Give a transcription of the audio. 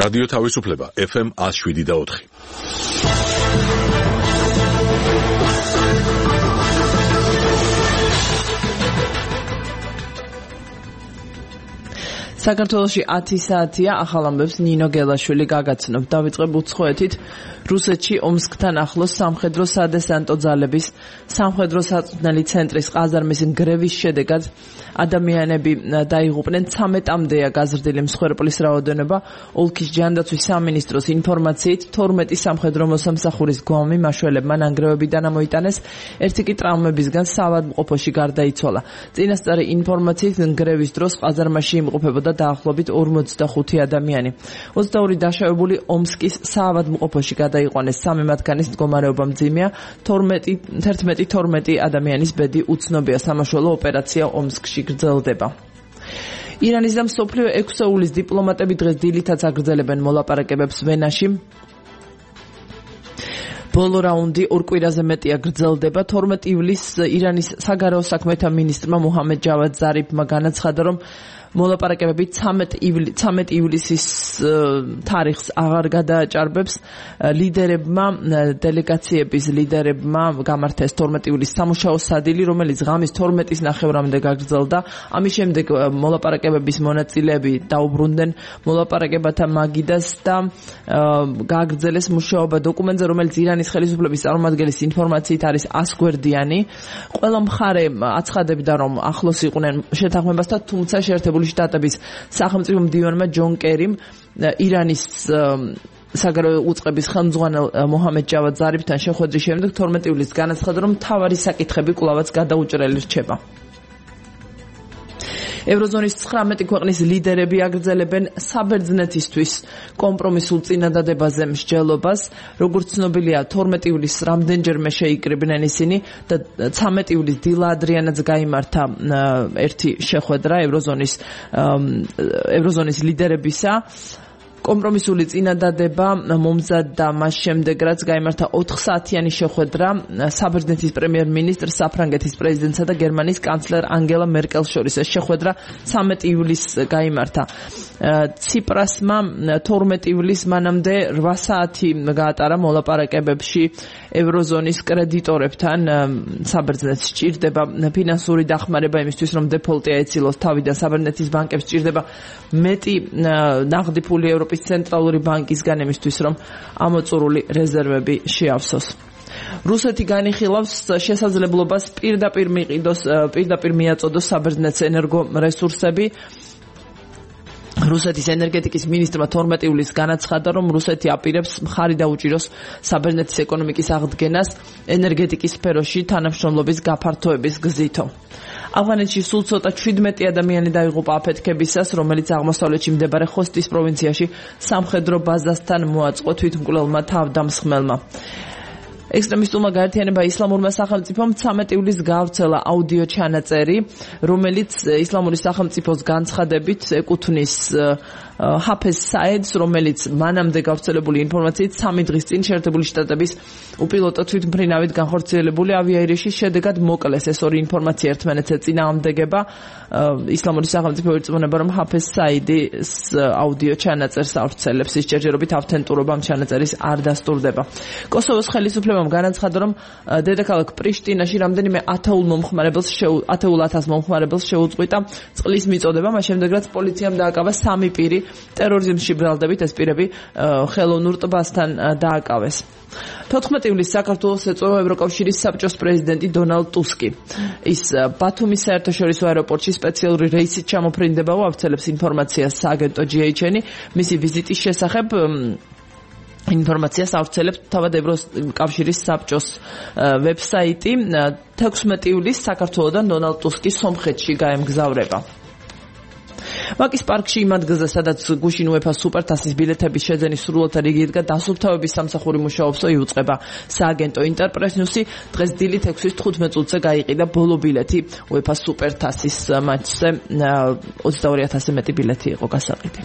რადიო თავისუფლება FM 107.4. საქართველოში 10 საათია ახალ ამბებს ნინო გელაშვილი გაგაცნობ. დავიწყებ უცხოეთით. რუსეთში ომსკთან ახლოს სამხედრო სადესანტო ძალების სამხედრო საწვრთნელი ცენტრის ყაზარმის გრევის შედეგად ადამიანები დაიღუპნენ. 13-მდეა გაზრდილი მსხვერპლის რაოდენობა. ოლქის ჯანდაცვის სამინისტროს ინფორმაციით 12 სამხედრო მოსამსახურის გვამი მაშველებმა ნანგრევებიდან ამოიტანეს. ერთი კი ტრავმებისგან საავადმყოფოში გარდაიცვალა. წინასწარი ინფორმაციით გრევის დროს ყაზარმაში იმყოფებოდა დაახლოებით 45 ადამიანი. 22 დაშავებული ომსკის საავადმყოფოში გადაიყვანეს. 3 მათგანის მდგომარეობა მძიმეა. 11-12 ადამიანის ბედი უცნობია. სამაშველო ოპერაცია ომსკში გრძელდება. ირანის და მსოფლიო 6-ულის დიპლომატები დღეს დილითაც აგრძელებენ მოლაპარაკებებს ვენაში. ბოლო რაუნდი 2 კვირაზე მეტია გრძელდება. 12 ივლისს ირანის საგარეო საქმეთა მინისტრმა მუჰამედ ჯავად ზარიფმა განაცხადა, რომ მოლაპარაკებები 13 ივლისის თარიღს აღარ გადააჭარბებს. დელეგაციების ლიდერებმა გამართეს 12 ივლისს სამუშაო სადილი, რომელიც ღამის 12-ის ნახევრამდე გაგრძელდა. ამის შემდეგ მოლაპარაკებების მონაწილეები დაუბრუნდნენ მოლაპარაკებათა მაგიდას და გააგრძელეს მუშაობა დოკუმენტზე, რომელიც ირანის ხელისუფლების წარმომადგენლის ინფორმაციით არის 100 გვერდიანი. ყველა მხარე აცხადებდა, რომ ახლოს იყვნენ შეთანხმებასთან, თუმცა შეერთებული შტატების სახელმწიფო მდივანმა ჯონ კერიმ ირანის საგარეო უწყების ხელმძღვანელ მუჰამედ ჯავად ზარიფთან შეხვედრის შემდეგ 12 ივლისს განაცხადა, რომ მთავარი საკითხები კვლავაც გადაუჭრელი რჩება. ევროზონის 19 ქვეყნის ლიდერები აგრძელებენ საბერძნეთისთვის კომპრომისულ წინადადებაზე მსჯელობას. როგორც ცნობილია, 12 ივლისს რამდენჯერმე შეიკრიბნენ ისინი და 13 ივლისს დილა ადრიანაც გაიმართა ერთი შეხვედრა ევროზონის ლიდერებისა. კომპრომისული წინადადება მომზადდა მას შემდეგ, რაც გაიმართა 4 საათიანი შეხვედრა საბერძნეთის პრემიერ-მინისტრ, საფრანგეთის პრეზიდენტსა და გერმანიის კანცლერ ანგელა მერკელს შორის. ეს შეხვედრა 13 ივლისს გაიმართა. ციპრასმა 12 ივლისს მანამდე 8 საათი გაატარა მოლაპარაკებებში ევროზონის კრედიტორებთან. საბერძნეთს სჭირდება ფინანსური დახმარება იმისთვის, რომ დეფოლტი აეცილოს თავიდან. საბერძნეთის ბანკებს სჭირდება მეტი ნაღდი ფული ევროპის ცენტრალური ბანკისგან იმისთვის, რომ ამოწურული რეზერვები შეავსოს. რუსეთი განიხილავს შესაძლებლობას პირდაპირ მიაწოდოს საბერძნეთს ენერგორესურსები. რუსეთის ენერგეტიკის მინისტრმა 12 ივლისს განაცხადა, რომ რუსეთი აპირებს მხარი დაუჭიროს საბერძნეთის ეკონომიკის აღდგენას ენერგეტიკის სფეროში თანამშრომლობის გაფართოების გზითო. ავღანეთში სულ ცოტა 17 ადამიანი დაიღუპა აფეთქებისას, რომელიც აღმოსავლეთში მდებარე ხოსტის პროვინციაში სამხედრო ბაზასთან მოაწყო თვითმკვლელმა თავდამსხმელმა. ექსტრემისტულმა გაერთიანება ისლამურმა სახელმწიფომ 13 ივლისს გაავრცელა აუდიო ჩანაწერი, რომელიც ისლამური სახელმწიფოს განცხადებით ეკუთვნის ჰაფეზ საედს, რომელიც მანამდე გავრცელებული ინფორმაციით 3 დღის წინ შეერთებული შტატების უპილოტო თვითმფრინავით განხორციელებული ავიაერიშის შედეგად მოკლეს. ეს ორი ინფორმაცია ერთმანეთს ეწინააღმდეგება. ისლამური სახელმწიფო ირწმუნება, რომ ჰაფეზ საედის აუდიო ჩანაწერს ავრცელებს. ის ჯერჯერობით ავთენტურობა ამ ჩანაწერის არ დასტურდება. კოსოვოს ხელისუფლებამ განაცხადა, რომ დედაქალაქ პრიშტინაში რამდენიმე ათეულ მომხმარებელს შეუწყვიტა წყლის მიწოდება, მას შემდეგ რაც პოლიციამ დააკავა 3 პირი ტერორიზმში ბრალდებით. ეს პირები ხელოვნურ ტბასთან დააკავეს. 14 ივლისს საქართველოს ეწოდა ევროკავშირის საბჭოს პრეზიდენტი დონალდ ტუსკი. ის ბათუმის საერთაშორისო აეროპორტში სპეციალური რეისით ჩამოფრინდება, ავრცელებს ინფორმაციას სააგენტო GHN. მისი ვიზიტის შესახებ ინფორმაციას ავრცელებს თავად ევროკავშირის საბჭოს ვებსაიტი. 16 ივლისს საქართველოდან დონალდ ტუსკი სომხეთში გაემგზავრება. ვაკის პარკში იმ ადგილზე, სადაც გუშინ UEFA სუპერთასის ბილეთების შეძენის სრულიად რიგი იდგა, დასუფთავების სამსახური მუშაობსო იუწყება. სააგენტო ინტერპრეს ნიუსი დღეს დილით 6-ის 15 წუთზე გაიყიდა ბოლო ბილეთი UEFA სუპერთასის მატჩზე. 22000 მეტი ბილეთი იყო გასაყიდი.